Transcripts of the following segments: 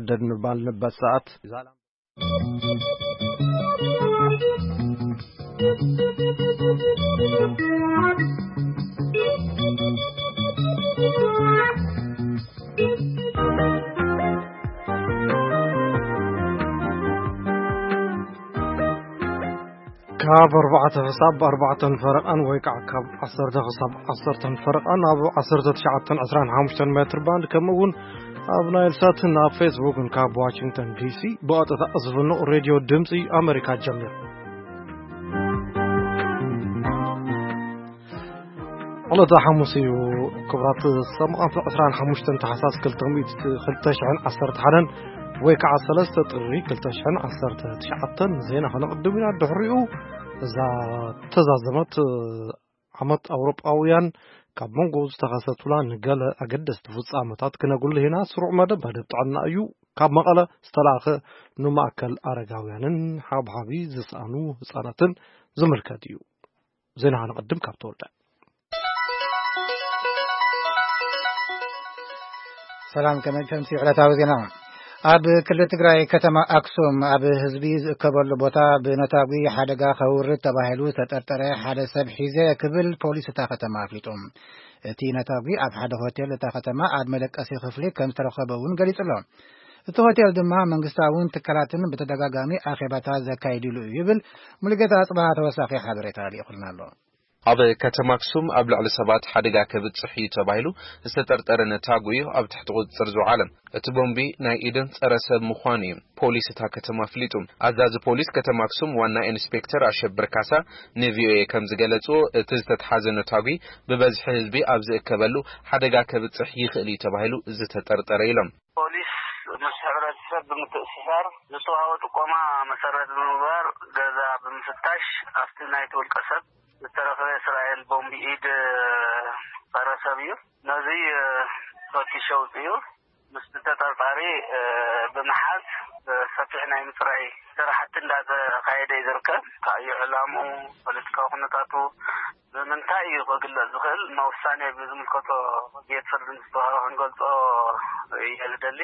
ደድ ንባልንበት ሰዓት ካብ ኣርባዕተ ክሳብ ኣርባዕተን ፈረቓን ወይ ከዓ ካብ ዓሰርተ ክሳብ ዓሰርተን ፈረቓን ኣብ ዓሰርተ ትሽዓተን ዕስራን ሓሙሽተን ሜትር ባንድ፣ ከምኡ እውን ኣብ ናይል ሳትን ኣብ ፌስቡክን ካብ ዋሽንግተን ዲሲ ብቐጥታ ዝፍኖ ሬድዮ ድምፂ ኣሜሪካ ጀሚሩ። ዕለተ ሓሙስ እዩ። ክቡራት ሰማዕቲ፣ ዕስራን ሓሙሽተን ታሕሳስ ክልተ ሚእቲ፣ ክልተ ሽሕን ዓሰርተ ሓደን ወይ ከዓ ሰለስተ ጥሪ ክልተ ሽሕን ዓሰርተ ትሽዓተን ዜና ከነቕድም ኢና። ድሕሪኡ እዛ ተዛዘመት ዓመት ኣውሮጳውያን ካብ መንጎ ዝተኸሰቱላ ንገለ ኣገደስቲ ፍጻመታት ክነጉልህ ኢና። ስሩዕ መደብ፣ መደብ ጥዕና እዩ። ካብ መቐለ ዝተላእኸ ንማእከል ኣረጋውያንን ሓብሓቢ ዝሰኣኑ ህጻናትን ዝምልከት እዩ። ዜና ንቐድም ካብ ተወልደ። ሰላም፣ ከመይ ከምሲ ዕለታዊ ዜና። ኣብ ክልል ትግራይ ከተማ ኣክሱም ኣብ ህዝቢ ዝእከበሉ ቦታ ብነታጒ ሓደጋ ከውርድ ተባሂሉ ዝተጠርጠረ ሓደ ሰብ ሒዘ ክብል ፖሊስ እታ ከተማ ኣፍሊጡ። እቲ ነታጒ ኣብ ሓደ ሆቴል እታ ከተማ ኣብ መደቀሲ ክፍሊ ከም ዝተረኸበ እውን ገሊጹ ኣሎ። እቲ ሆቴል ድማ መንግስታውን ትካላትን ብተደጋጋሚ ኣኼባታት ዘካይድሉ እዩ ይብል። ሙሉጌታ ኣጽብሃ ተወሳኺ ሓበሬታ ልኢኹልና ኣሎ። ኣብ ከተማ ኣክሱም ኣብ ልዕሊ ሰባት ሓደጋ ከብጽሕ እዩ ተባሂሉ ዝተጠርጠረ ነታጒ እዩ ኣብ ትሕቲ ቁጽጽር ዝወዓለ። እቲ ቦምቢ ናይ ኢድን ጸረ ሰብ ምዃኑ እዩ ፖሊስ እታ ከተማ ኣፍሊጡ። ኣዛዚ ፖሊስ ከተማ ኣክሱም ዋና ኢንስፔክተር ኣሸብር ካሳ ንቪኦኤ ከም ዝገለጽዎ፣ እቲ ዝተትሓዘ ነታጒ ብበዝሒ ህዝቢ ኣብ ዝእከበሉ ሓደጋ ከብጽሕ ይኽእል እዩ ተባሂሉ ዝተጠርጠረ ኢሎም። ፖሊስ ምስ ሕብረተሰብ ብምትእስሳር ዝተዋህቦ ጥቆማ መሰረት ብምግባር ገዛ ብምፍታሽ ኣብቲ ናይቲ ውልቀ ሰብ ዝተረኽበ እስራኤል ቦምቢ ኢድ ጸረ ሰብ እዩ። ነዚ ፈቲሹ ኣውጺኡ። ምስቲ ተጠርጣሪ ብምሓዝ ሰፊሕ ናይ ምጽራይ ስራሕቲ እንዳተኻየደ እዩ ዝርከብ። እንታይ እዩ ዕላምኡ፣ ፖለቲካዊ ኩነታቱ ብምንታይ እዩ ክግለጽ ዝኽእል፣ መውሳኔ ብዝምልከቶ ቤት ፍርዲ ምስ ተዋህበ ክንገልጾ እየ ዝደሊ።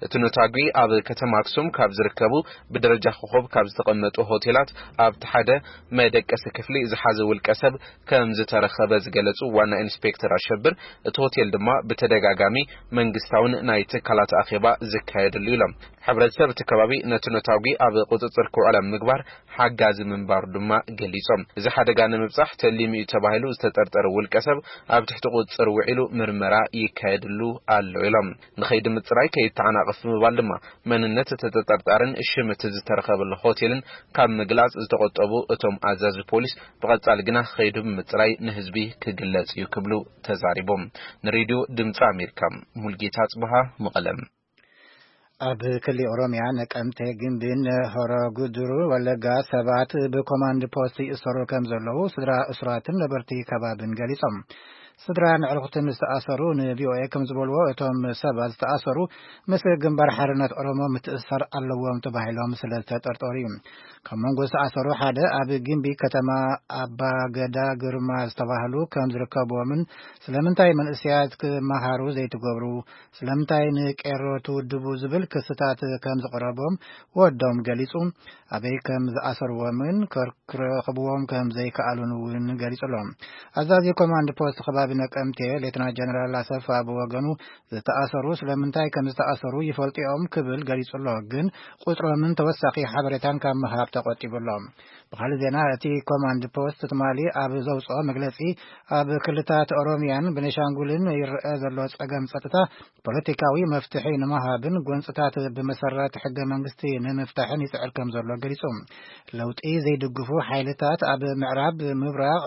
እቲ ነታጒ ኣብ ከተማ ኣክሱም ካብ ዝርከቡ ብደረጃ ኮኾብ ካብ ዝተቐመጡ ሆቴላት ኣብቲ ሓደ መደቀሲ ክፍሊ ዝሓዘ ውልቀ ሰብ ከም ዝተረኸበ ዝገለጹ ዋና ኢንስፔክተር ኣሸብር፣ እቲ ሆቴል ድማ ብተደጋጋሚ መንግስታውን ናይ ትካላት ኣኼባ ዝካየደሉ ኢሎም። ሕብረተሰብ እቲ ከባቢ ነቲ ነታጒ ኣብ ቁጽጽር ክውዕል ኣብ ምግባር ሓጋዚ ምንባሩ ድማ ገሊጾም። እዚ ሓደጋ ንምብጻሕ ተሊሙ እዩ ተባሂሉ ዝተጠርጠረ ውልቀ ሰብ ኣብ ትሕቲ ቁጽጽር ውዒሉ ምርመራ ይካየድሉ ኣሎ ኢሎም። ንኸይዲ ምጽራይ ከይተዓናቐፍ ብምባል ድማ መንነት እቲ ተጠርጣርን ሽም እቲ ዝተረኸበሉ ሆቴልን ካብ ምግላጽ ዝተቖጠቡ እቶም ኣዛዚ ፖሊስ፣ ብቐጻሊ ግና ከይዱ ብምጽራይ ንህዝቢ ክግለጽ እዩ ክብሉ ተዛሪቦም። ንሬድዮ ድምፂ ኣሜሪካ ሙልጌታ ጽብሃ መቐለም። ኣብ ክሊ ኦሮሚያ ነቀምቴ ግንቢን ሆሮ ጉድሩ ወለጋ ሰባት ብኮማንድ ፖስት ይእሰሩ ከም ዘለዉ ስድራ እሱራትን ነበርቲ ከባብን ገሊጾም። ስድራ ንዕርኩትን ዝተኣሰሩ ንቪኦኤ ከም ዝበልዎ፣ እቶም ሰባት ዝተኣሰሩ ምስ ግንባር ሓርነት ኦሮሞ ምትእስሳር ኣለዎም ተባሂሎም ስለ ዝተጠርጠሩ እዩ። ካብ መንጎ ዝተኣሰሩ ሓደ ኣብ ግንቢ ከተማ ኣባ ገዳ ግርማ ዝተባህሉ ከም ዝርከብዎምን ስለምንታይ መንእሰያት ክመሃሩ ዘይትገብሩ፣ ስለምንታይ ንቄሮ ትውድቡ ዝብል ክስታት ከም ዝቐረቦም ወዶም ገሊጹ። ኣበይ ከም ዝኣሰርዎምን ከር-፣ ክረኽብዎም ከም ዘይከኣሉን እውን ገሊጹ ኣሎ። ኣዛዚ ኮማንድ ፖስት ከባቢ ነቀምቴ ሌተና ጀነራል ኣሰፋ ብወገኑ፣ ዝተኣሰሩ ስለምንታይ ከም ዝተኣሰሩ ይፈልጡ እዮም ክብል ገሊጹ ኣሎ። ግን ቁጽሮምን ተወሳኺ ሓበሬታን ካብ ምሃብ ተቆጢቡ ኣሎ። ብኻልእ ዜና፣ እቲ ኮማንድ ፖስት ትማሊ ኣብ ዘውጽኦ መግለጺ፣ ኣብ ክልታት ኦሮሚያን ቤኒሻንጉልን ይረአ ዘሎ ጸገም ጸጥታ ፖለቲካዊ መፍትሒ ንምሃብን ጎንጽታት ብመሰረት ሕገ መንግስቲ ንምፍታሕን ይጽዕር ከም ዘሎ ገሊጹ። ለውጢ ዘይድግፉ ሓይልታት ኣብ ምዕራብ፣ ምብራቕ፣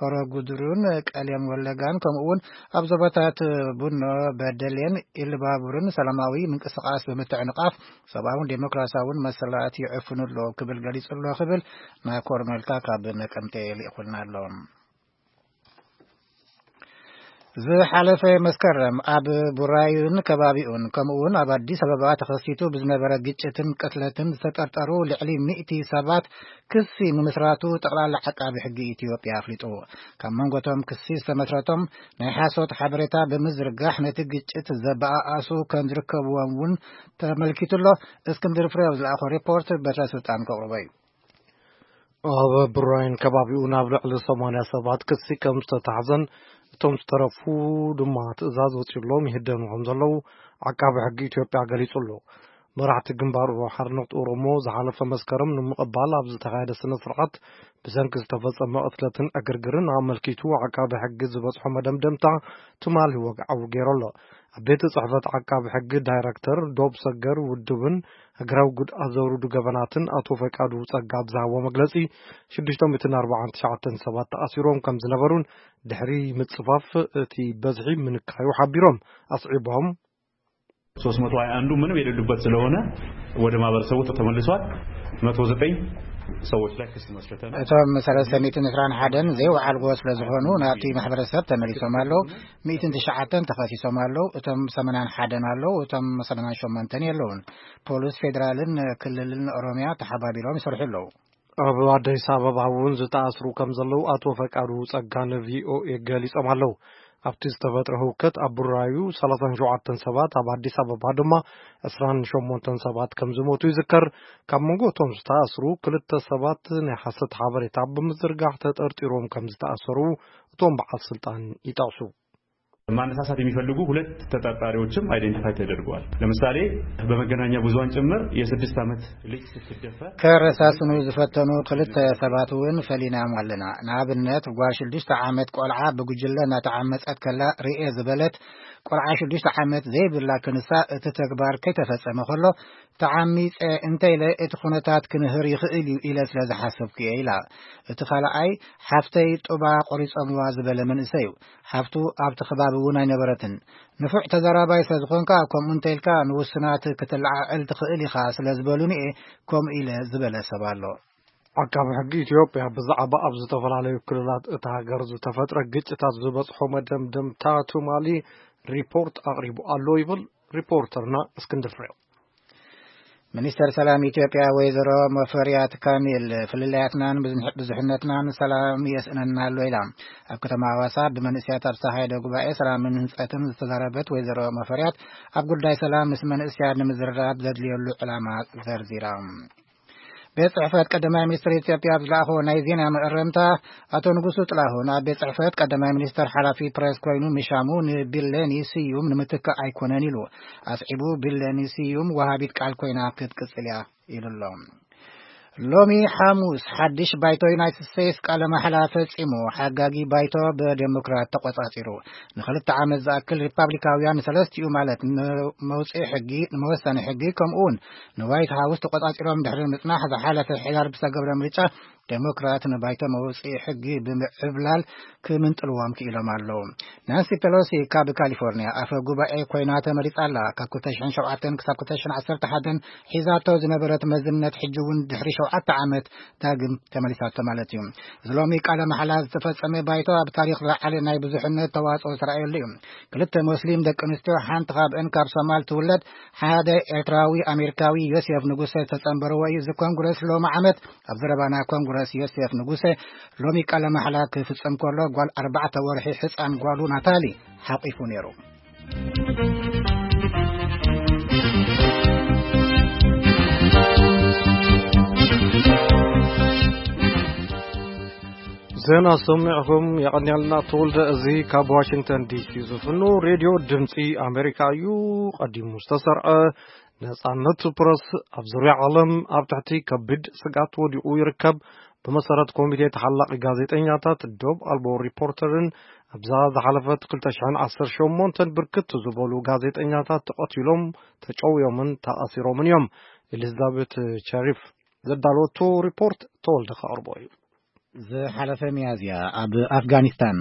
ሆሮ ጉድሩን ቀሌም ወለጋን፣ ከምኡ እውን ኣብ ዞባታት ቡኖ በደሌን ኢሉባቡርን ሰላማዊ ምንቅስቓስ ብምትዕንቓፍ ሰብኣውን ዴሞክራሲያውን መሰላት ይዕፍኑ ኣለዉ ክብል ገሊጹ ኣሎ ክብል ናኮር መልካ ካብ ነቀምቴ ልኢኹልና ኣሎ። ዝሓለፈ መስከረም ኣብ ቡራዩን ከባቢኡን ከምኡውን ኣብ ኣዲስ ኣበባ ተኸሲቱ ብዝነበረ ግጭትን ቅትለትን ዝተጠርጠሩ ልዕሊ ሚእቲ ሰባት ክሲ ምምስራቱ ጠቕላላ ዓቃቢ ሕጊ ኢትዮጵያ ኣፍሊጡ። ካብ መንጎቶም ክሲ ዝተመስረቶም ናይ ሓሶት ሓበሬታ ብምዝርጋሕ ነቲ ግጭት ዘበኣኣሱ ከም ዝርከብዎም እውን ተመልኪቱ ኣሎ። እስክንድር ፍሬው ዝለኣኾ ሪፖርት በትረ ስልጣን ከቕርቦ እዩ። ኣብ ብራይን ከባቢኡ ናብ ልዕሊ ሰማንያ ሰባት ክሲ ከም ዝተታሕዘን እቶም ዝተረፉ ድማ ትእዛዝ ወፂሎም ይህደኑ ከም ዘለዉ ዓቃቢ ሕጊ ኢትዮጵያ ገሊጹ ኣሎ። መራሕቲ ግንባር ሓርነት ኦሮሞ ዝሓለፈ መስከረም ንምቕባል ኣብ ዝተኻየደ ስነ ስርዓት ብሰንኪ ዝተፈጸመ ቅትለትን ዕግርግርን ኣመልኪቱ ዓቃቢ ሕጊ ዝበጽሖ መደምደምታ ትማሊ ወግዓዊ ገይሩ ኣሎ። ኣብ ቤት ጽሕፈት ዓቃቢ ሕጊ ዳይረክተር ዶብ ሰገር ውድብን እግራዊ ጉድኣት ዘውርዱ ገበናትን ኣቶ ፈቃዱ ጸጋ ኣብ ዝሃቦ መግለጺ፣ ሽዱሽተ ሚእትን ኣርባዓን ትሽዓተን ሰባት ተኣሲሮም ከም ዝነበሩን ድሕሪ ምጽፋፍ እቲ በዝሒ ምንካዩ ሓቢሮም። ኣስዒቦም። ሶስት መቶ ሃያ አንዱ ምንም የሌሉበት ስለሆነ ወደ ማህበረሰቡ ተመልሷል። መቶ ዘጠኝ ሰዎች ላይ ክስ መስርተናል። እቶም ሰለስተ ሚእትን ዕስራን ሓደን ዘይወዓልዎ ስለ ዝኾኑ ናብቲ ማሕበረሰብ ተመሊሶም ኣለዉ። ሚእትን ትሽዓተን ተኸሲሶም ኣለዉ። እቶም ሰማንያን ሓደን ኣለዉ። እቶም ሰማንያን ሸሞንተን የለዉን። ፖሊስ ፌዴራልን ክልልን ኦሮሚያ ተሓባቢሮም ይሰርሑ ኣለዉ። ኣብ ኣዲስ ኣበባ እውን ዝተኣስሩ ከም ዘለዉ ኣቶ ፈቃዱ ጸጋ ንቪኦኤ ገሊጾም ኣለዉ። ኣብቲ ዝተፈጥረ ህውከት ኣብ ቡራዩ ሰላሳን ሸውዓተን ሰባት፣ ኣብ ኣዲስ ኣበባ ድማ ዕስራን ሸሞንተን ሰባት ከም ዝሞቱ ይዝከር። ካብ መንጎ እቶም ዝተኣስሩ ክልተ ሰባት ናይ ሓሰት ሓበሬታ ብምዝርጋሕ ተጠርጢሮም ከም ዝተኣሰሩ እቶም በዓል ስልጣን ይጠቕሱ። ማነሳሳት የሚፈልጉ ሁለት ተጠርጣሪዎችም አይደንቲፋይ ተደርገዋል። ለምሳሌ በመገናኛ ብዙሃን ጭምር የስድስት ዓመት ልጅ ስትደፈር ከረሳስኑ ዝፈተኑ ክልተ ሰባት እውን ፈሊናም ኣለና። ንኣብነት ጓል ሽዱሽተ ዓመት ቆልዓ ብጉጅለ እናተዓመጸት ከላ ርኤ ዝበለት ቆልዓ ሽዱሽተ ዓመት ዘይብላ ክንሳ እቲ ተግባር ከይተፈጸመ ከሎ ተዓሚጸ እንተኢለ እቲ ኩነታት ክንህር ይኽእል እዩ ኢለ ስለ ዝሓሰብኩ እየ ኢላ። እቲ ካልኣይ ሓፍተይ ጡባ ቆሪጾምዋ ዝበለ መንእሰይ እዩ። ሓፍቱ ኣብቲ ከባቢ እውን ኣይነበረትን። ንፉዕ ተዛራባይ ስለ ዝኾንካ ከምኡ እንተ ኢልካ ንውሱናት ክትለዓዕል ትኽእል ኢኻ ስለ ዝበሉኒ እየ ከምኡ ኢለ ዝበለ ሰብ ኣሎ። ዓቃቢ ሕጊ ኢትዮጵያ ብዛዕባ ኣብ ዝተፈላለዩ ክልላት እታ ሃገር ዝተፈጥረ ግጭታት ዝበፅሖ መደምደምታ ትማሊ ሪፖርት ኣቕሪቡ ኣሎ ይብል ሪፖርተርና እስክንድር ፍሬው። ሚኒስተር ሰላም ኢትዮጵያ ወይዘሮ ሙፈሪያት ካሚል ፍልልያትናን ብዙሕነትናን ሰላም የስእነና ኣሎ ኢላ። ኣብ ከተማ ሃዋሳ ብመንእስያት ኣብ ዝተኻየደ ጉባኤ ሰላምን ህንፀትን ዝተዛረበት ወይዘሮ ሙፈሪያት ኣብ ጉዳይ ሰላም ምስ መንእስያት ንምዝርራብ ዘድልየሉ ዕላማ ዘርዚራ። ቤት ጽሕፈት ቀዳማይ ሚኒስትር ኢትዮጵያ ኣብ ዝለኣኾ ናይ ዜና መእረምታ ኣቶ ንጉሱ ጥላሁን ኣብ ቤት ጽሕፈት ቀዳማይ ሚኒስትር ሓላፊ ፕሬስ ኮይኑ ምሻሙ ንቢለኒ ስዩም ንምትካእ ኣይኮነን ኢሉ ኣስዒቡ። ቢለኒ ስዩም ወሃቢት ቃል ኮይና ክትቅጽል እያ ኢሉ ኣሎ። ሎሚ ሓሙስ ሓድሽ ባይቶ ዩናይትድ ስቴትስ ቃለ ማሕላ ፈጺሙ። ሓጋጊ ባይቶ ብዴሞክራት ተቆጻጺሩ። ንክልተ ዓመት ዝኣክል ሪፓብሊካውያን ንሰለስቲኡ ማለት ንመውፅኢ ሕጊ፣ ንመወሰኒ ሕጊ ከምኡ እውን ንዋይት ሃውስ ተቆጻጺሮም ድሕሪ ምጽናሕ ዝሓለፈ ሕዳር ብዝተገብረ ምርጫ ዴሞክራት ንባይቶ መውፅኢ ሕጊ ብምዕብላል ክምንጥልዎም ክኢሎም ኣለዉ። ናንሲ ፔሎሲ ካብ ካሊፎርኒያ ኣፈ ጉባኤ ኮይና ተመሪጻ ኣላ። ካብ ክልተ ሽሕን ሸውዓተን ክሳብ ክልተ ሽሕን ዓሰርተ ሓደን ሒዛቶ ዝነበረት መዝነት ሕጂ እውን ድሕሪ ሸውዓተ ዓመት ዳግም ተመሊሳቶ ማለት እዩ። እዚ ሎሚ ቃለ መሓላ ዝተፈጸመ ባይቶ ኣብ ታሪኽ ዝለዓለ ናይ ብዙሕነት ተዋጽኦ ዝተረኣየሉ እዩ። ክልተ ሞስሊም ደቂ ኣንስትዮ ሓንቲ ካብአን ካብ ሶማል ትውለድ ሓደ ኤርትራዊ ኣሜሪካዊ ዮሴፍ ንጉሰ ዝተጸንበርዎ እዩ። እዚ ኮንግረስ ሎሚ ዓመት ኣብ ዘረባና ኮንግረስ ዮሴፍ ንጉሰ ሎሚ ቃለ ማሕላ ክፍጸም ከሎ ጓል ኣርባዕተ ወርሒ ሕጻን ጓሉ ናታሊ ሓቂፉ ነይሩ። ዜና ሰሚዕኹም የቐንያልና ተወልደ። እዚ ካብ ዋሽንግተን ዲሲ ዝፍኖ ሬድዮ ድምፂ ኣሜሪካ እዩ። ቀዲሙ ዝተሰርዐ ነጻነት ፕረስ ኣብ ዙርያ ዓለም ኣብ ትሕቲ ከቢድ ስግኣት ወዲቑ ይርከብ። ብመሰረት ኮሚቴ ተሓላቒ ጋዜጠኛታት ዶብ ኣልቦ ሪፖርተርን ኣብዛ ዝሓለፈት ክልተ ሽሕን ዓሰርተ ሸሞንተን ብርክት ዝበሉ ጋዜጠኛታት ተቐቲሎም፣ ተጨውዮምን ተኣሲሮምን እዮም። ኤሊዛቤት ቸሪፍ ዘዳለወቶ ሪፖርት ተወልደ ከቕርቦ እዩ። ዝሓለፈ ሚያዝያ ኣብ ኣፍጋኒስታን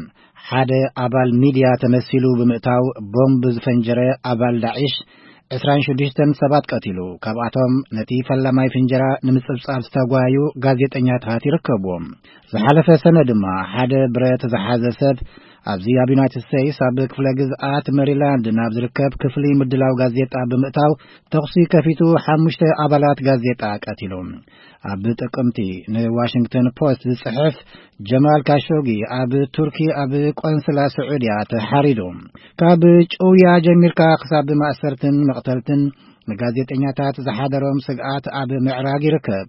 ሓደ ኣባል ሚድያ ተመሲሉ ብምእታው ቦምብ ዝፈንጀረ ኣባል ዳዒሽ ዕስራን ሽዱሽተን ሰባት ቀቲሉ። ካብኣቶም ነቲ ፈላማይ ፍንጀራ ንምጽብጻብ ዝተጓዩ ጋዜጠኛታት ይርከብዎም። ዝሓለፈ ሰነ ድማ ሓደ ብረት ዝሓዘ ሰብ ኣብዚ ኣብ ዩናይትድ ስቴትስ ኣብ ክፍለ ግዝኣት ሜሪላንድ ናብ ዝርከብ ክፍሊ ምድላው ጋዜጣ ብምእታው ተኹሲ ከፊቱ ሓሙሽተ ኣባላት ጋዜጣ ቀቲሉ። ኣብ ጥቅምቲ ንዋሽንግተን ፖስት ዝጽሕፍ ጀማል ካሾጊ ኣብ ቱርኪ ኣብ ቆንስላ ስዑድያ ተሓሪዱ። ካብ ጭውያ ጀሚርካ ክሳብ ማእሰርትን መቕተልትን ንጋዜጠኛታት ዝሓደሮም ስግኣት ኣብ ምዕራግ ይርከብ።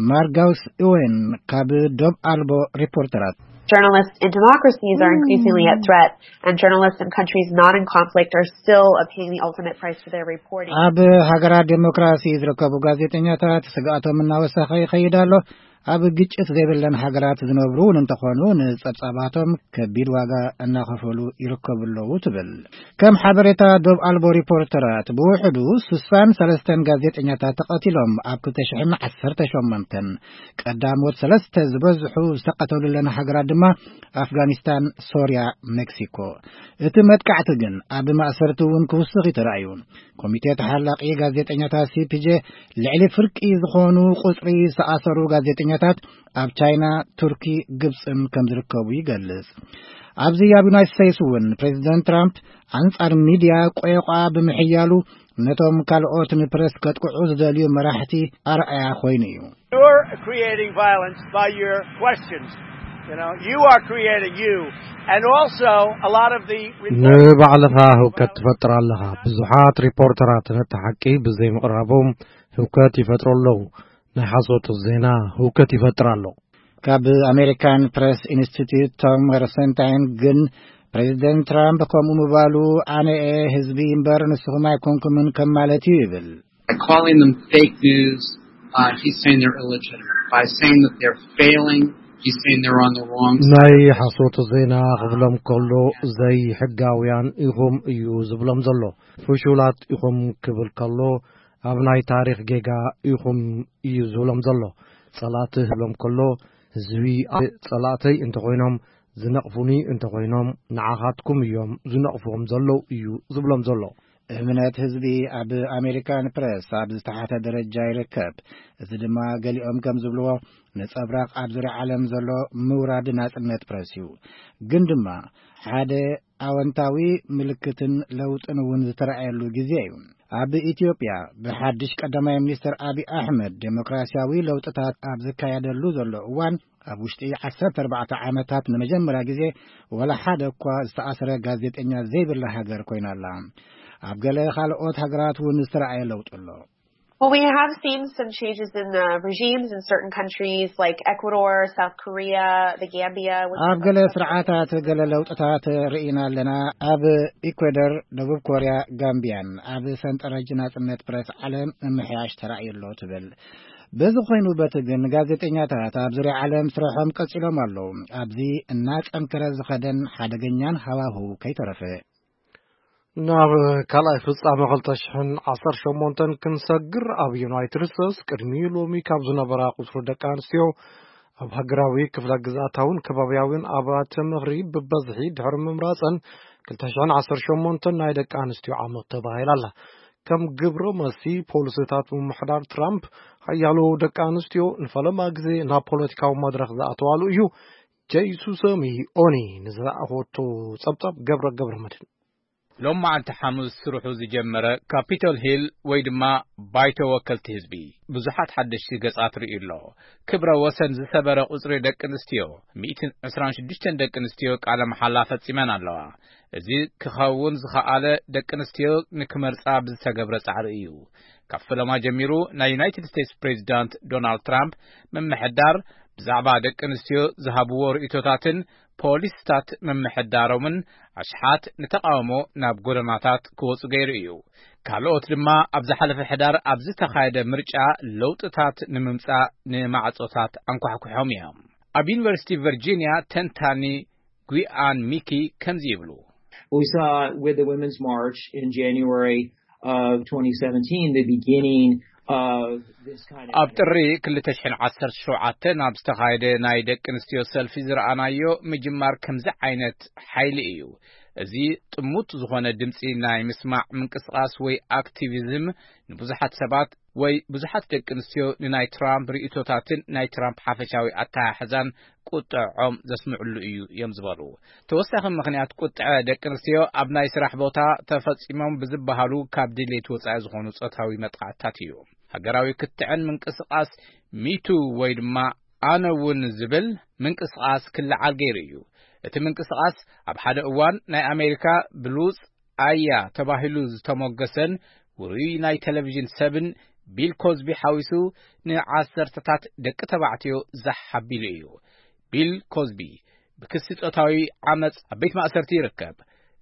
ማርጋውስ እወን ካብ ዶብ ኣልቦ ሪፖርተራት። Journalists and democracies are increasingly at threat, and journalists in countries not in conflict are still paying the ultimate price for their reporting. ኣብ ሃገራት ዴሞክራሲ ዝርከቡ ጋዜጠኛታት ስግኣቶም እናወሰኸ ይኸይድ ኣሎ። ኣብ ግጭት ዘይብለን ሃገራት ዝነብሩ እውን እንተኾኑ ንጸብጻባቶም ከቢድ ዋጋ እናኸፈሉ ይርከቡ ኣለዉ ትብል። ከም ሓበሬታ ዶብ ኣልቦ ሪፖርተራት ብውሕዱ ስሳን ሰለስተን ጋዜጠኛታት ተቐቲሎም ኣብ ክልተ ሽሕን ዓሰርተ ሸሞንተን ቀዳሞት ሰለስተ ዝበዝሑ ዝተቐተሉለን ሃገራት ድማ ኣፍጋኒስታን፣ ሶርያ፣ ሜክሲኮ። እቲ መጥቃዕቲ ግን ኣብ ማእሰርቲ እውን ክውስኽ እዩ ተራእዩ። ኮሚቴ ተሓላቂ ጋዜጠኛታት ሲ ፒ ጄ ልዕሊ ፍርቂ ዝኾኑ ቁጽሪ ዝተኣሰሩ ጋዜጠኛታት ኣብ ቻይና፣ ቱርኪ፣ ግብጽን ከም ዝርከቡ ይገልጽ። ኣብዚ ኣብ ዩናይትድ ስቴትስ እውን ፕሬዚደንት ትራምፕ ኣንጻር ሚድያ ቆየቋ ብምሕያሉ ነቶም ካልኦት ንፕረስ ከጥቅዑ ዝደልዩ መራሕቲ ኣርኣያ ኮይኑ እዩ። You're creating violence by your questions. You know, you are creating you. And also, a lot of the reporting ንባዕልኻ ህውከት ትፈጥር ኣለኻ። ብዙሓት ሪፖርተራት ነቲ ሓቂ ብዘይምቕራቦም ህውከት ይፈጥሩ ኣለዉ። ናይ ሓሶት ዜና ህውከት ይፈጥር ኣሎ። ካብ ኣሜሪካን ፕሬስ ኢንስቲትዩት ቶም ረሰንታይን ግን ፕሬዚደንት ትራምፕ ከምኡ ምባሉ ኣነ እየ ህዝቢ እምበር ንስኹም ኣይኮንኩምን ከም ማለት እዩ ይብል። By calling them fake news, uh, he's saying they're illegitimate. By saying that they're failing, he's saying they're on the wrong side. ናይ ሓሶት ዜና ክብሎም ከሎ ዘይሕጋውያን ኢኹም እዩ ዝብሎም ዘሎ። ፍሹላት ኢኹም ክብል ከሎ ኣብ ናይ ታሪኽ ጌጋ ኢኹም እዩ ዝብሎም ዘሎ። ጸላእቲ ክብሎም ከሎ ህዝቢ ጸላእተይ እንተኾይኖም ዝነቕፉኒ እንተኾይኖም ንዓኻትኩም እዮም ዝነቕፍዎም ዘለዉ እዩ ዝብሎም ዘሎ። እምነት ህዝቢ ኣብ ኣሜሪካን ፕረስ ኣብ ዝተሓተ ደረጃ ይርከብ። እዚ ድማ ገሊኦም ከም ዝብልዎ ነጸብራቕ ኣብ ዙርያ ዓለም ዘሎ ምውራድ ናጽነት ፕረስ እዩ። ግን ድማ ሓደ ኣወንታዊ ምልክትን ለውጥን እውን ዝተረኣየሉ ግዜ እዩ። ኣብ ኢትዮጵያ ብሓድሽ ቀዳማይ ሚኒስትር ኣብይ ኣሕመድ ዴሞክራሲያዊ ለውጥታት ኣብ ዝካየደሉ ዘሎ እዋን ኣብ ውሽጢ ዓሰርተ ኣርባዕተ ዓመታት ንመጀመርያ ግዜ ወላ ሓደ እኳ ዝተኣስረ ጋዜጠኛ ዘይብላ ሃገር ኮይና ኣላ። ኣብ ገለ ካልኦት ሃገራት እውን ዝተረኣየ ለውጢ ኣሎ። Well, we have seen some changes in the regimes in certain countries like Ecuador, South Korea, the Gambia. With ኣብ ገለ ስርዓታት ገለ ለውጥታት ርኢና ኣለና። ኣብ ኢኳዶር፣ ደቡብ ኮርያ፣ ጋምቢያን ኣብ ሰንጠረዥ ናጽነት ፕረስ ዓለም ምምሕያሽ ተራእዩ ኣሎ ትብል። በዚ ኮይኑ በቲ ግን ጋዜጠኛታት ኣብ ዙርያ ዓለም ስራሖም ቀጺሎም ኣለዉ። ኣብዚ እናጸንከረ ዝኸደን ሓደገኛን ሃዋህው ከይተረፈ። ናብ ካልኣይ ፍጻመ ክልተ ሽሕን ዓሰርተ ሸሞንተን ክንሰግር ኣብ ዩናይትድ ስቴትስ ቅድሚ ሎሚ ካብ ዝነበራ ቁጽሪ ደቂ ኣንስትዮ ኣብ ሃገራዊ ክፍለ ግዝኣታውን ከባብያውን ኣብያተ ምኽሪ ብበዝሒ ድሕሪ ምምራጸን ክልተ ሽሕን ዓሰርተ ሸሞንተን ናይ ደቂ ኣንስትዮ ዓመት ተባሂላ ኣላ። ከም ግብረ መልሲ ፖሊሲታት ምምሕዳር ትራምፕ ሓያሎ ደቂ ኣንስትዮ ንፈለማ ግዜ ናብ ፖለቲካዊ መድረኽ ዝኣተዋሉ እዩ። ጀይሱ ሰሚ ኦኒ ንዝለኣኾቶ ጸብጻብ ገብረ ገብረ መድህን። ሎም መዓልቲ ሓሙስ ስርሑ ዝጀመረ ካፒቶል ሂል ወይ ድማ ባይቶ ወከልቲ ህዝቢ ብዙሓት ሓደሽቲ ገጻት ርእዩ ኣሎ። ክብረ ወሰን ዝሰበረ ቁጽሪ ደቂ ኣንስትዮ፣ ሚእትን ዕስራን ሽዱሽተን ደቂ ኣንስትዮ ቃለ መሓላ ፈጺመን ኣለዋ። እዚ ክኸውን ዝኸኣለ ደቂ ኣንስትዮ ንክመርጻ ብዝተገብረ ጻዕሪ እዩ። ካብ ፈለማ ጀሚሩ ናይ ዩናይትድ ስቴትስ ፕሬዚዳንት ዶናልድ ትራምፕ ምምሕዳር ብዛዕባ ደቂ ኣንስትዮ ዝሃብዎ ርእይቶታትን ፖሊስታት ምምሕዳሮምን ኣሽሓት ንተቓውሞ ናብ ጎደናታት ክወጹ ገይሩ እዩ። ካልኦት ድማ ኣብ ዝሓለፈ ሕዳር ኣብ ዝተኻየደ ምርጫ ለውጥታት ንምምጻእ ንማዕጾታት ኣንኳሕኲሖም እዮም። ኣብ ዩኒቨርሲቲ ቨርጂንያ ተንታኒ ጉያን ሚኪ ከምዚ ይብሉ። We saw with the Women's March in January of twenty seventeen, the beginning of this kind of ኣብ ጥሪ ክልተ ሽሕን ዓሰርተ ሸውዓተን ኣብ ዝተኻየደ ናይ ደቂ ኣንስትዮ ሰልፊ ዝረኣናዮ ምጅማር ከምዚ ዓይነት ሓይሊ እዩ። እዚ ጥሙት ዝኾነ ድምጺ ናይ ምስማዕ ምንቅስቓስ ወይ ኣክቲቪዝም ንብዙሓት ሰባት ወይ ብዙሓት ደቂ ኣንስትዮ ንናይ ትራምፕ ርእይቶታትን ናይ ትራምፕ ሓፈሻዊ ኣተሓሕዛን ቁጥዖም ዘስምዕሉ እዩ እዮም ዝበሉ። ተወሳኺ ምኽንያት ቁጥዐ ደቂ ኣንስትዮ ኣብ ናይ ስራሕ ቦታ ተፈጺሞም ብዝበሃሉ ካብ ድሌት ወጻኢ ዝኾኑ ጾታዊ መጥቃዕትታት እዩ። ሃገራዊ ክትዕን ምንቅስቓስ ሚቱ ወይ ድማ ኣነ እውን ዝብል ምንቅስቓስ ክለዓል ገይሩ እዩ። እቲ ምንቅስቓስ ኣብ ሓደ እዋን ናይ ኣሜሪካ ብሉጽ ኣያ ተባሂሉ ዝተሞገሰን ውሩይ ናይ ቴሌቪዥን ሰብን ቢል ኮዝቢ ሓዊሱ ንዓሰርተታት ደቂ ተባዕትዮ ዛሕ ኣቢሉ እዩ። ቢል ኮዝቢ ብክሲ ጾታዊ ዓመጽ ኣብ ቤት ማእሰርቲ ይርከብ።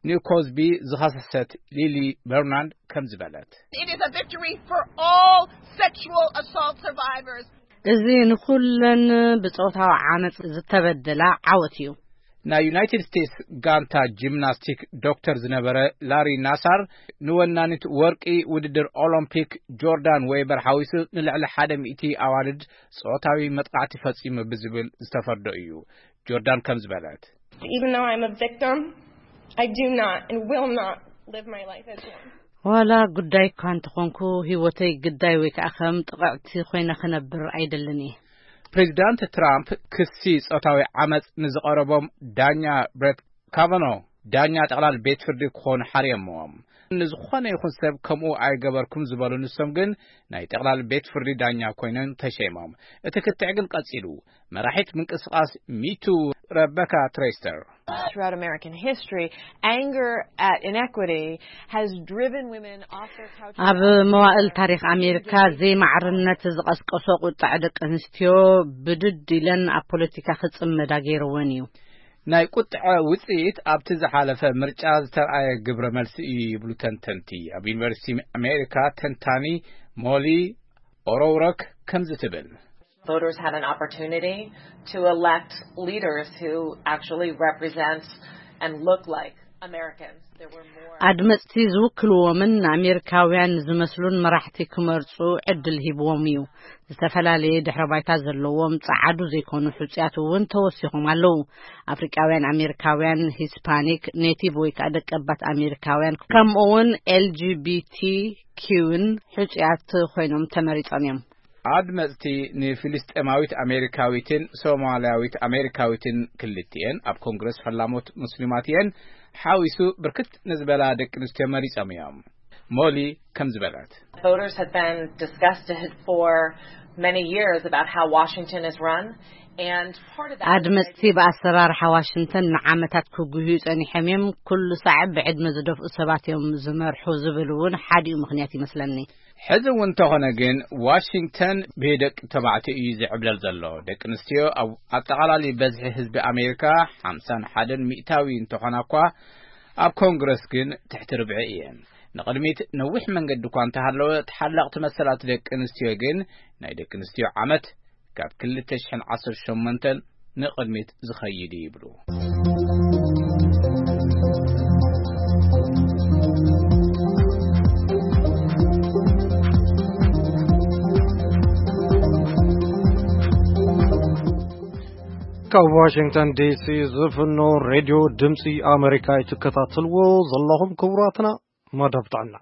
ንኮዝቢ ዝኸሰሰት ሊሊ በርናንድ ከም ዝበለት። It is a victory for all sexual assault survivors. እዚ ንኹለን ብጾታዊ ዓመጽ ዝተበደላ ዓወት እዩ። ናይ ዩናይትድ ስቴትስ ጋንታ ጂምናስቲክ ዶክተር ዝነበረ ላሪ ናሳር ንወናኒት ወርቂ ውድድር ኦሎምፒክ ጆርዳን ዌበር ሓዊሱ ንልዕሊ ሓደ ሚእቲ ኣዋልድ ጾታዊ መጥቃዕቲ ፈጺሙ ብዝብል ዝተፈርዶ እዩ። ጆርዳን ከም ዝበለት። Even though I'm a victim, I do not and will not live my life as one. ዋላ ጉዳይ እኳ እንተኾንኩ፣ ህይወተይ ግዳይ ወይ ከዓ ከም ጥቕዕቲ ኮይነ ክነብር ኣይደልን እየ። ፕሬዚዳንት ትራምፕ ክሲ ጾታዊ ዓመጽ ንዝቐረቦም ዳኛ ብሬት ካቨኖ ዳኛ ጠቕላል ቤት ፍርዲ ክኾኑ ሓርዮምዎም። ንዝኾነ ይኹን ሰብ ከምኡ ኣይገበርኩም ዝበሉ ንሶም ግን ናይ ጠቕላል ቤት ፍርዲ ዳኛ ኮይኖም ተሸይሞም። እቲ ክትዕ ግን ቀጺሉ። መራሒት ምንቅስቓስ ሚቱ ረበካ ትሬስተር። Throughout American history, anger at inequity has driven women off their couches. ኣብ መዋእል ታሪኽ ኣሜሪካ ዘይማዕርነት ዝቐስቀሶ ቁጣዕ ደቂ ኣንስትዮ ብድድ ኢለን ኣብ ፖለቲካ ክጽመዳ ገይርወን እዩ። ናይ ቁጥዐ ውጽኢት ኣብቲ ዝሓለፈ ምርጫ ዝተርኣየ ግብረ መልሲ እዩ ይብሉ ተንተንቲ። ኣብ ዩኒቨርሲቲ ኣሜሪካ ተንታኒ ሞሊ ኦሮውረክ ከምዚ ትብል። Voters had an opportunity to elect leaders who actually represent and look like Americans. There were more ኣድመፅቲ ዝውክልዎምን ንኣሜሪካውያን ዝመስሉን መራሕቲ ክመርፁ ዕድል ሂብዎም እዩ። ዝተፈላለየ ድሕረ ባይታ ዘለዎም ጸዓዱ ዘይኮኑ ሕጹያት እውን ተወሲኾም ኣለዉ። ኣፍሪቃውያን ኣሜሪካውያን፣ ሂስፓኒክ፣ ኔቲቭ ወይ ከዓ ደቀባት ኣሜሪካውያን ከምኡ እውን ኤል ጂ ቢ ቲ ኪውን ሕጹያት ኮይኖም ተመሪጾም እዮም። ኣድመጽቲ ንፍልስጤማዊት ኣሜሪካዊትን ሶማልያዊት ኣሜሪካዊትን፣ ክልቲኤን ኣብ ኮንግረስ ፈላሞት ሙስሊማት እየን፣ ሓዊሱ ብርክት ንዝበላ ደቂ ኣንስትዮ መሪጾም እዮም። ሞሊ ከም ዝበለት። Voters have been disgusted for many years about how Washington is run, and part of that is ኣድመጽቲ ብኣሰራርሓ ዋሽንግተን ንዓመታት ክጉህዩ ጸኒሖም እዮም። ኩሉ ሳዕ ብዕድመ ዝደፍኡ ሰባት እዮም ዝመርሑ ዝብል እውን ሓዲኡ ምኽንያት ይመስለኒ። ሕዚ እውን እንተኾነ ግን ዋሽንግተን ብደቂ ተባዕትዮ እዩ ዝዕብለል ዘሎ። ደቂ ኣንስትዮ ኣብ ኣጠቓላሊ በዝሒ ህዝቢ ኣሜሪካ ሓምሳን ሓደን ሚእታዊ እንተኾና እኳ ኣብ ኮንግረስ ግን ትሕቲ ርብዒ እየን። ንቕድሚት ነዊሕ መንገዲ እኳ እንተሃለወ፣ ተሓላቕቲ መሰላት ደቂ ኣንስትዮ ግን ናይ ደቂ ኣንስትዮ ዓመት ካብ ክልተ ሽሕን ዓሰርተ ሸሞንተን ንቕድሚት ዝኸይድ እዩ ይብሉ። ካብ ዋሽንግተን ዲ ሲ ዝፍኖ ሬድዮ ድምፂ ኣሜሪካ እትከታተልዎ ዘለኹም ክቡራትና፣ መደብ ጥዕና።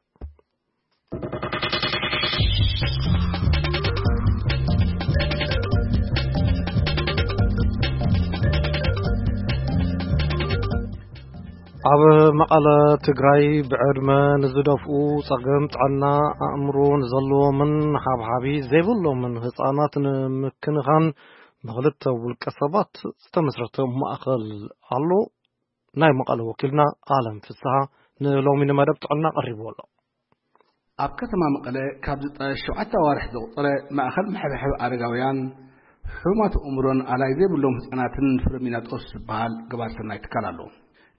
ኣብ መቐለ ትግራይ ብዕድመ ንዝደፍኡ፣ ጸገም ጥዕና ኣእምሮ ንዘለዎምን ሓብሓቢ ዘይብሎምን ህጻናት ንምክንኻን ብኽልተ ውልቀ ሰባት ዝተመስረተ ማእከል ኣሎ። ናይ መቐለ ወኪልና ኣለም ፍስሃ ንሎሚ ንመደብ ጥዕና ቀሪብዎ ኣሎ። ኣብ ከተማ መቐለ ካብ ዝጠ ሸውዓተ ኣዋርሕ ዘቑጸረ ማእከል መሐብሐቢ ኣረጋውያን፣ ሕሙማት ኣእምሮን ኣላይ ዘይብሎም ህጻናትን ፍረሚናጦስ ዝበሃል ገባር ሰናይ ትካል ኣሎ።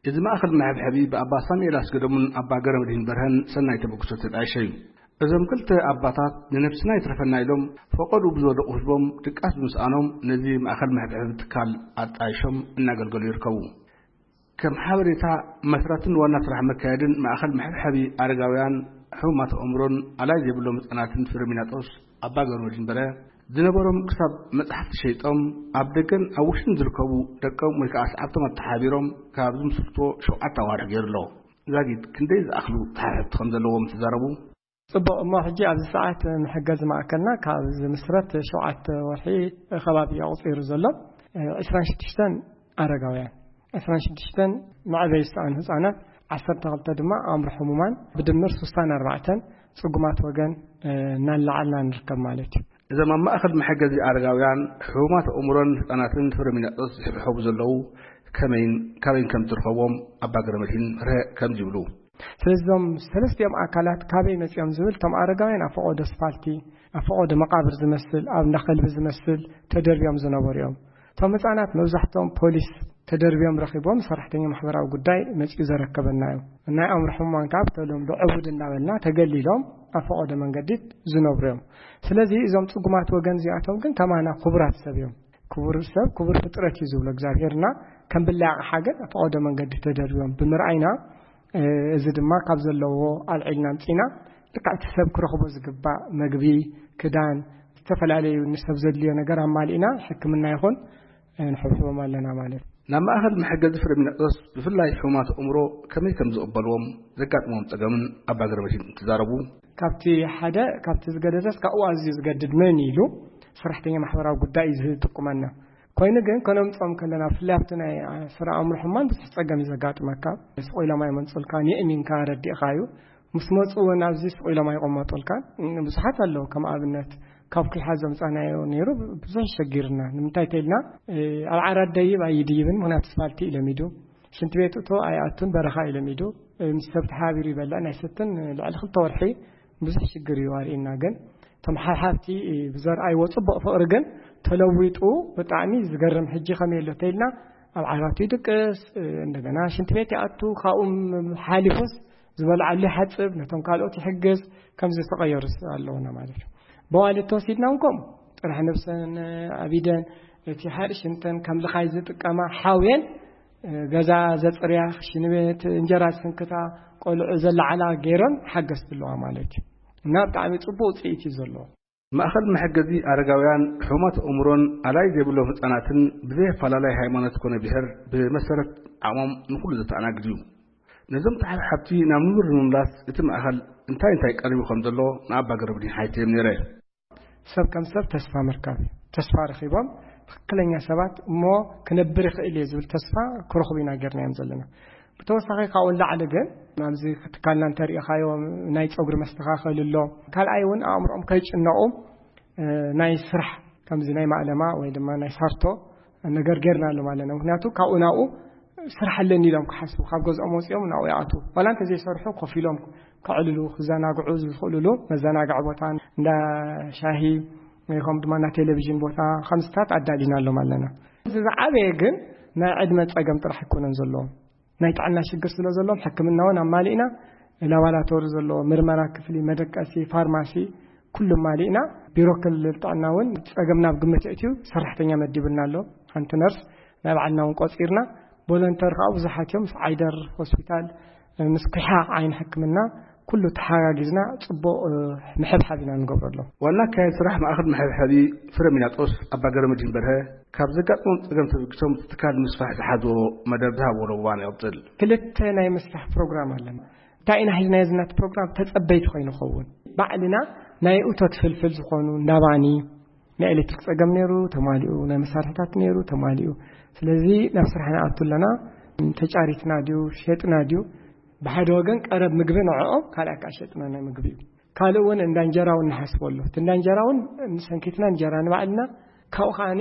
እዚ ማእከል መሐብሐቢ ብኣባ ሳሙኤል ኣስገዶምን ኣባ ገረመድህን በርሀን ሰናይ ተበግሶ ተጣይሸ እዩ። እዞም ክልተ ኣባታት ንነብስና ይትረፈና ኢሎም ፈቐድኡ ብዝወደቑ ህዝቦም ድቃስ ብምስኣኖም ነዚ ማእከል መሐብሐቢ ትካል ኣጣይሾም እናገልገሉ ይርከቡ። ከም ሓበሬታ መስራትን ዋና ስራሕ መካየድን ማእከል መሐብሐቢ ኣረጋውያን ሕሙማት ኣእምሮን ኣላይ ዘይብሎም ህጻናትን ፍሬሚናጦስ ኣባ ገብረመድህን በርሀ ዝነበሮም ክሳብ መጽሓፍቲ ሸይጦም ኣብ ደገን ኣብ ውሽጥን ዝርከቡ ደቆም ወይ ከዓ ሰዓብቶም ኣተሓቢሮም ካብ ዝምስርትዎ ሸውዓተ ኣዋርሕ ገይሩ ኣሎ። ዛጊት ክንደይ ዝኣኽሉ ተሓሕዝቲ ከም ዘለዎም ተዛረቡ። ጽቡቕ፣ እሞ ሕጂ ኣብዚ ሰዓት መሐገዚ ማእከልና ካብ ዝምስረት ሸውዓተ ወርሒ ከባቢ ኣቑጺሩ ዘሎ። ዕስራን ሽዱሽተን ኣረጋውያን፣ ዕስራን ሽዱሽተን መዕበይ ዝሰኣኑ ህጻናት፣ ዓሰርተ ክልተ ድማ ኣእምሮ ሕሙማን፣ ብድምር ስሳን ኣርባዕተን ጽጉማት ወገን እናለዓልና ንርከብ ማለት እዩ። እዞም ኣብ ማእከል መሐገዚ ኣረጋውያን፣ ሕሙማት ኣእምሮን ህጻናትን ፍሬሚናጦስ ዝሕብሐቡ ዘለዉ ከመይን ካበይን ከም ዝርከብዎም ኣባ ገብረመድህን በርሀ ከምዚ ይብሉ። ስለዚ እዞም ሰለስቲኦም ኣካላት ካበይ መጺኦም ዝብል፣ እቶም ኣረጋውያን ኣብ ፈቖዶ ኣስፋልቲ፣ ኣብ ፈቖዶ መቓብር ዝመስል፣ ኣብ እንዳ ከልቢ ዝመስል ተደርብዮም ዝነበሩ እዮም። እቶም ህጻናት መብዛሕትኦም ፖሊስ ተደርብዮም ረኺቦም፣ ሰራሕተኛ ማሕበራዊ ጉዳይ መጺኡ ዘረከበና እዮም። ናይ ኣእምሮ ሕሙማን ከዓ ብተለምዶ ዕቡድ እናበልና ተገሊሎም ኣብ ፈቐዶ መንገዲ ዝነብሩ እዮም። ስለዚ እዞም ጽጉማት ወገን እዚኣቶም ግን ከማና ክቡራት ሰብ እዮም። ክቡር ሰብ ክቡር ፍጥረት እዩ ዝብሎ እግዚኣብሄርና። ከም ብላይ ኣቕሓ ግን ኣብ ፈቐዶ መንገዲ ተደርብዮም ብምርኣይና፣ እዚ ድማ ካብ ዘለዎ ኣልዒልና ኣምጺና፣ ልክዕ እቲ ሰብ ክረኽቦ ዝግባእ መግቢ፣ ክዳን፣ ዝተፈላለዩ ንሰብ ዘድልዮ ነገር ኣማሊእና ሕክምና ይኹን ንሕብሕቦም ኣለና ማለት እዩ። ናብ ማእኸል መሐገዚ ፍሬሚናጦስ ብፍላይ ሕሙማት ኣእምሮ ከመይ ከም ዝቕበልዎም፣ ዘጋጥሞም ጸገምን ኣባ ገብረመድህን እንትዛረቡ፣ ካብቲ ሓደ ካብቲ ዝገደሰስ ካብኡ ኣዝዩ ዝገድድ መን ኢሉ ሰራሕተኛ ማሕበራዊ ጉዳይ እዩ ዝጥቁመና። ኮይኑ ግን ከነምጾም ከለና፣ ብፍላይ ኣብቲ ናይ ስራ ኣእምሮ ሕሙማን ብዙሕ ጸገም እዩ ዘጋጥመካ። ስቕ ኢሎም ኣይመንጹልካን፣ የእሚንካ ረዲእካ እዩ። ምስ መጹ እውን ኣብዚ ስቕ ኢሎም ኣይቕመጡልካን። ብዙሓት ኣለዉ፣ ከም ኣብነት ካብ ኩሓ ዘምጻናዮ ነይሩ ብዙሕ ሸጊርና። ንምንታይ ተኢልና፣ ኣብ ዓራት ደይብ ኣይድይብን፣ ምኽንያቱ ኣስፋልቲ እዩ ለሚዱ። ሽንቲ ቤት እቶ ኣይኣቱን፣ በረኻ እዩ ለሚዱ። ምስ ሰብ ተሓቢሩ ይበልዕ፣ ናይ ሰትን ልዕሊ ክልተ ወርሒ ብዙሕ ሽግር እዩ ኣርእና። ግን እቶም ሓብሓብቲ ብዘርኣይዎ ጽቡቕ ፍቕሪ ግን ተለዊጡ ብጣዕሚ ዝገርም። ሕጂ ከመይ ኣሎ ተኢልና፣ ኣብ ዓራቱ ይድቅስ፣ እንደገና ሽንቲ ቤት ይኣቱ፣ ካብኡ ሓሊፉስ ዝበልዓሉ ይሓጽብ፣ ነቶም ካልኦት ይሕግዝ። ከምዚ ዝተቐየሩ ኣለውና ማለት እዩ። በዋሊ ተወሲድና እውን ከምኡ ጥራሕ ነብሰን ኣቢደን፣ እቲ ሓርሽ እንተን ከም ልኻይ ዝጥቀማ ሓውየን፣ ገዛ ዘጽርያ፣ ሽንቤት፣ እንጀራ ዝስንክታ፣ ቆልዑ ዘለዓላ ገይረን ሓገዝቲ ኣለዋ ማለት እዩ። እና ብጣዕሚ ጽቡቕ ውጽኢት እዩ ዘለዎ። ማእኸል መሐገዚ ኣረጋውያን፣ ሕሙማት ኣእምሮን ኣላይ ዘይብሎም ህጻናትን ብዘይ ኣፈላላይ ሃይማኖት ኮነ ብሔር ብመሰረት ዓቕሞም ንኹሉ ዘተኣናግድ እዩ። ነዞም ተሓብሓብቲ ናብ ንቡር ንምምላስ እቲ ማእኸል እንታይ እንታይ ቀሪቡ ከም ዘሎ ንኣባ ገብረመድህን ሓቲተዮም ነይረ። ሰብ ከም ሰብ ተስፋ ምርካብ እዩ። ተስፋ ረኺቦም ትኽክለኛ ሰባት እሞ ክነብር ይኽእል እየ ዝብል ተስፋ ክረኽቡ ኢና ጌርናዮም ዘለና። ብተወሳኺ ካብኡ ንላዕሊ ግን ኣብዚ ትካልና እንተሪኢኻዮ ናይ ጸጉሪ መስተኻኸሊ ኣሎ። ካልኣይ እውን ኣእምሮኦም ከይጭነቑ ናይ ስራሕ ከምዚ ናይ ማእለማ ወይ ድማ ናይ ሳርቶ ነገር ጌርና ኣሎ ማለት ነው። ምክንያቱ ካብኡ ናብኡ ስራሕ ኣለኒ ኢሎም ክሓስቡ፣ ካብ ገዝኦም ወፂኦም ናብኡ ይኣትዉ። ዋላ እንተዘይሰርሑ ኮፍ ኢሎም ከዕልሉ፣ ክዘናግዑ ዝኽእሉሉ መዘናግዒ ቦታ፣ እንዳ ሻሂ ወይ ከም ድማ እንዳ ቴሌቪዥን ቦታ ከምዚታት ኣዳሊና ኣሎም ኣለና። እዚ ዝዓበየ ግን ናይ ዕድመ ፀገም ጥራሕ ኣይኮነን ዘለዎም። ናይ ጥዕና ሽግር ስለ ዘለዎም ሕክምና እውን ኣማሊእና፣ ላባራቶሪ ዘለዎ ምርመራ ክፍሊ፣ መደቀሲ፣ ፋርማሲ ኩሉ ኣማሊእና። ቢሮ ክልል ጥዕና እውን ፀገም ናብ ግምት የእትዩ ሰራሕተኛ መዲብልና ኣሎ። ሓንቲ ነርስ ናይ ባዕልና እውን ቆፂርና፣ ቮለንተር ከዓ ብዙሓት እዮም። ምስ ዓይደር ሆስፒታል፣ ምስ ኩሓ ዓይኒ ሕክምና ኩሉ ተሓጋጊዝና ፅቡቕ፣ እ፣ ምሕብሓብ ኢና ንገብረሎም። ዋና ኣካያዲ ስራሕ ማእኸል መሐብሐቢ ፍረሚናጦስ ኣባ ገብረመድህን በርሀ ካብ ዘጋጥሞም ፀገም ተበጊሶም እቲ ትካል ንምስፋሕ ዝሓዝዎ መደብ ዝሃብዎ ለዋን ይቕፅል። ክልተ ናይ ምስፋሕ ፕሮግራም ኣለና። እንታይ ኢና ሒዝናዮ ዝናት ፕሮግራም? ተጸበይቲ ኮይኑ ኸውን። ባዕልና ናይ እቶት ፍልፍል ዝኾኑ እንዳ ባኒ፣ ናይ ኤሌክትሪክ ጸገም ነይሩ፣ ተማሊኡ፣ ናይ መሳርሒታት ነይሩ፣ ተማሊኡ። ስለዚ ናብ ስራሕ ንኣቱ ኣለና። ተጫሪትና ድዩ፣ ሸጥና ድዩ? ብሓደ ወገን ቀረብ ምግቢ ንዕኦም፣ ካልኣይ ከዓ ሸጥና ናይ ምግቢ እዩ። ካልእ እውን እንዳ እንጀራ እውን ንሓስቦ ኣሎ። እቲ እንዳ እንጀራ እውን ንሰንኪትና እንጀራ ንባዕልና፣ ካብኡ ከዓኒ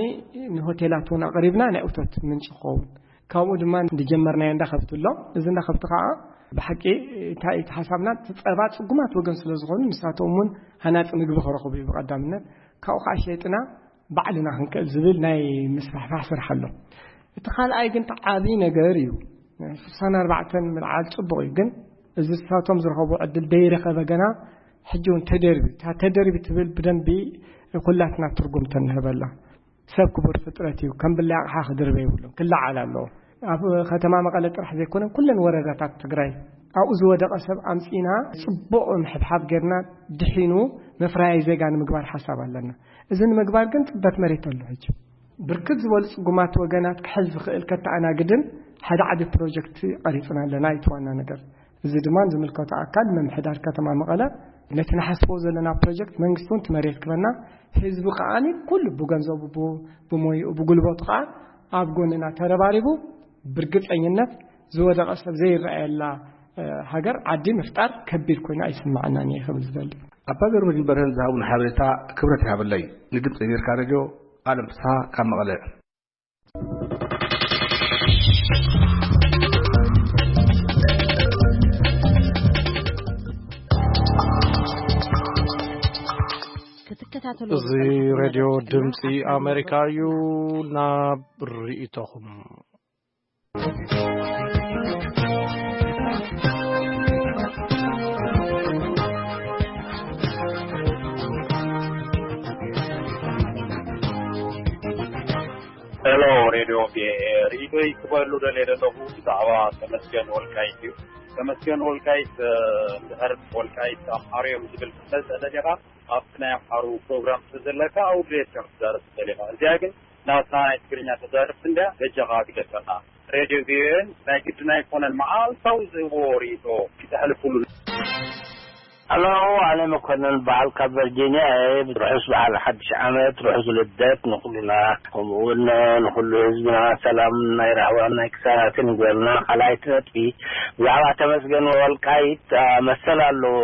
ንሆቴላት እውን ኣቕሪብና ናይ እቶት ምንጪ ክኸውን። ካብኡ ድማ ዝጀመርናዮ እንዳ ከብቲ ኣሎ። እዚ እንዳ ከብቲ ከዓ ብሓቂ እንታይ እቲ ሓሳብና፣ እቲ ጸባ ጽጉማት ወገን ስለ ዝኾኑ ንሳቶም እውን ሃናጺ ምግቢ ክረኽቡ እዩ ብቐዳምነት። ካብኡ ከዓ ሸይጥና ባዕልና ክንክእል ዝብል ናይ ምስፋሕፋሕ ስራሕ ኣሎ። እቲ ካልኣይ ግን እቲ ዓብዪ ነገር እዩ። ስሳን ኣርባዕተን ምልዓል ጽቡቕ እዩ፣ ግን እዚ ንሳቶም ዝረኸቡ ዕድል ደይረኸበ ገና ሕጂ እውን ተደርቢ፣ እታ ተደርቢ ትብል ብደንቢ ኩላትና ትርጉም ተንህበላ። ሰብ ክቡር ፍጥረት እዩ፣ ከም ብላይ ኣቕሓ ክድርበ ይብሉን ክለዓል ኣለዎ። ኣብ ከተማ መቐለ ጥራሕ ዘይኮነ ኩለን ወረዳታት ትግራይ ኣብኡ ዝወደቐ ሰብ ኣምጺና ጽቡቕ ምሕብሓብ ጌርና ድሒኑ መፍረያይ ዜጋ ንምግባር ሓሳብ ኣለና። እዚ ንምግባር ግን ጽበት መሬት ኣሎ። ሕጂ ብርክት ዝበሉ ጽጉማት ወገናት ክሕዝ ዝኽእል ከተኣናግድን ሓደ ዓቢ ፕሮጀክት ቀሪጽና ኣለና። እቲ ዋና ነገር፣ እዚ ድማ ዝምልከቶ ኣካል ምምሕዳር ከተማ መቐለ፣ ነቲ ንሓስቦ ዘለና ፕሮጀክት መንግስቲ እውን እቲ መሬት ክበና፣ ህዝቢ ከኣ ኩሉ ብገንዘቡ፣ ብ-፣ ብሞይኡ፣ ብጉልበቱ ከኣ ኣብ ጎንና ተረባሪቡ፣ ብርግጸኝነት ዝወደቐ ሰብ ዘይረኣየላ፣ እ፣ ሃገር፣ ዓዲ ምፍጣር ከቢድ ኮይኑ ኣይስምዓናን እየ ክብል ዝደሊ። ኣባ ገብረመድህን በርሀን ዝሃቡን ሓበሬታ ክብረት ይሃበለይ። ንድምፂ ኣሜሪካ ሬድዮ ኣለም ፍስሓ ካብ መቐለ። ክትከታተሉ እዚ ሬድዮ ድምፂ ኣሜሪካ እዩ። ናብ ርእይቶኹም። ሄሎ፣ ሬድዮ ቪኦኤ፣ ርእይቶይ ክበሉ ደልየ ዘለኹ ብዛዕባ ተመስገን ወልቃይት እዩ። ተመስገን ወልቃይት፣ እ፣ እንድሕር ወልቃይት ኣምሓሩ እዮም ዝብል ክትመጽእ ደሊኻ፣ ኣብቲ ናይ ኣምሓሩ ፕሮግራም ስለዘለካ፣ ኣብኡ ድሌትካ ክትዛረብ ትደሊኻ። እዚኣ ግን ናትና ናይ ትግርኛ ተዛረብቲ እንድያ፣ በጃኻ ግደፈና። ሬድዮ ቪኦኤን ናይ ግድን ኣይኮነን መዓልታዊ ዝህብዎ ርእይቶ ክተሕልፉሉ። ሃሎ፣ ኣነ መኮነን በዓል ካብ ቨርጂኒያ እየ። ርሑስ በዓል ሓድሽ ዓመት፣ ርሑስ ልደት ንኹልና፣ ከምኡ እውን ንኹሉ ህዝብና ሰላም ናይ ራህዋን ናይ ቅሳነትን ይግበረልና። ካልኣይቲ ነጥቢ፣ ብዛዕባ ተመስገን ወልቃይት፣ አ፣ መሰል ኣለዎ፣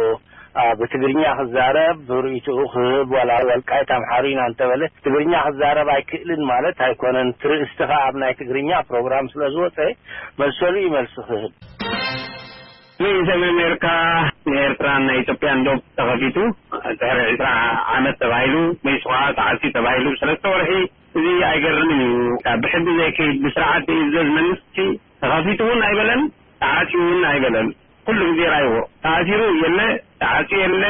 አ፣ ብትግርኛ ክዛረብ፣ ርእይትኡ ክህብ፣ ዋላ ወልቃይት ኣምሓሩ ኢና እንተበለ ትግርኛ ክዛረብ ኣይክእልን ማለት ኣይኮነን። እቲ ርእስቲ ኸኣ ኣብ ናይ ትግርኛ ፕሮግራም ስለ ዝወጸ መሰሉ እዩ መልሲ ክህብ። ርእይቶ ኣሜሪካ ንኤርትራን ናይ ኢትዮጵያን ዶብ ተኸፊቱ ድሕሪ ዕስራ ዓመት ተባሂሉ፣ መይሱ ኸዓ ተዓጽዩ ተባሂሉ ሰለስተ ወርሒ፣ እዚ ኣይገርምን እዩ። ብሕጊ ዘይከይድ፣ ብስርዓት ዘይእዘዝ መንግስቲ ተኸፊቱ እውን ኣይበለን፣ ተዓጽዩ እውን ኣይበለን። ኩሉ ግዜ ራይዎ ተኣሲሩ የለ፣ ተዓጽዩ የለ፣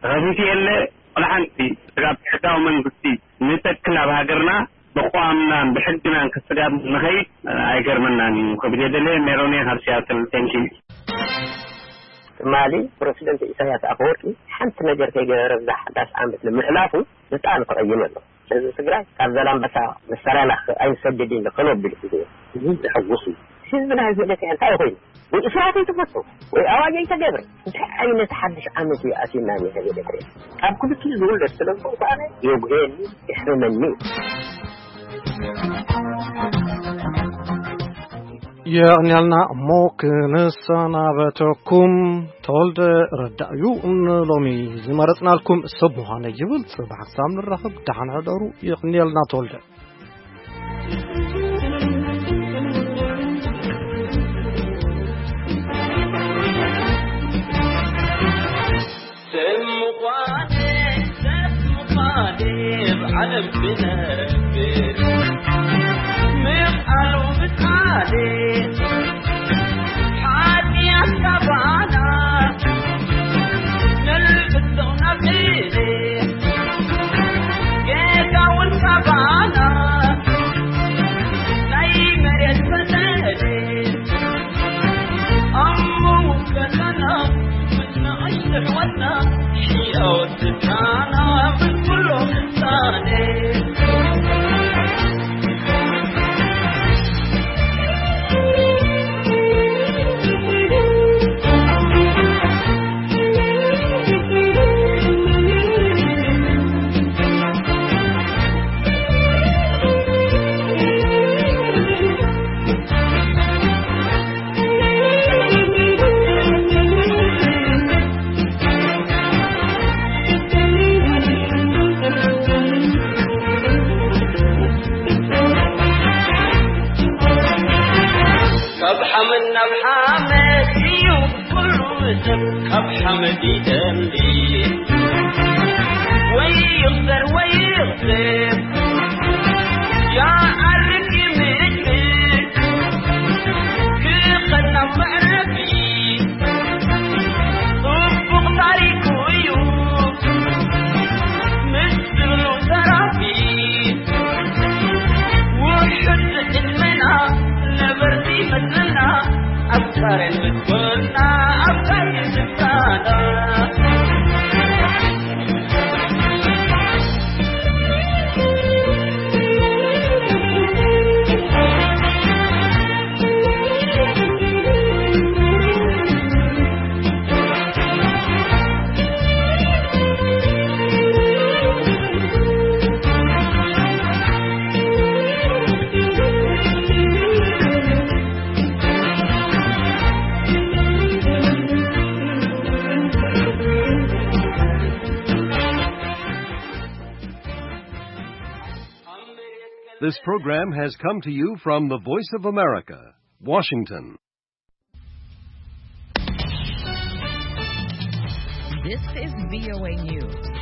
ተኸፊቱ የለ፣ ወላ ሓንቲ። ስጋብ ሕጋዊ መንግስቲ ንተክል ኣብ ሃገርና ብቋምናን ብሕግናን ክስጋብ ንኸይድ ኣይገርመናን እዩ ክብል የደለ። ሜሮን እየ ካብ ሲያትል። ቴንኪ። ትማሊ ፕረሲደንት ኢሳያስ ኣፈወርቂ ሓንቲ ነገር ከይገበረ እዛ ሓዳሽ ዓመት ንምሕላፉ ብጣዕሚ ተቐይመ ኣሎ። ህዝቢ ትግራይ ካብ ዘላንበሳ ንሰራና ኣይንሰድድን ከነብል እዩ። ህዝቢ ሕጉስ እዩ። ህዝቢ ናይ ህዝቢ ኤርትራ እንታይ ኮይኑ? ወይ እስራት ኣይተፈቶ፣ ወይ ኣዋጅ ኣይተገብረ። እንታይ ዓይነት ሓድሽ ዓመት እዩ ኣትዩና ንህዝቢ ኤርትራ? ካብ ክልቲኡ ዝውለድ ስለ ዝኾንኩ ኣነ የጉህየኒ፣ የሕምመኒ። የቕንያልና እሞ ክንሰናበተኩም፣ ተወልደ ረዳ እዩ ንሎሚ ዝመረጽናልኩም ሰብ ምዃነ ይብል። ጽባሕ ክሳብ ንራኸብ ደሓን ሕደሩ። የቕንየልና ተወልደ። ካብ ሓመድ ናብ ሓመድ እዩ ኩሉ ሰብ፣ ካብ ሓመድ ይደምቢ። ወይ ይኽሰር ወይ ይኽሰር፣ ይዓርግ ይምዕብል፣ ክኸድ ናብ መዕረፊ። ጽቡቕ ታሪኹ እዩ ምስ ዝብሉ ዘራፊ። ውሑድ ዕድመና ነበርቲ መስልና፣ ኣብ ጻረን ምስ ኮና This program has come to you from the Voice of America, Washington. This is V O A News.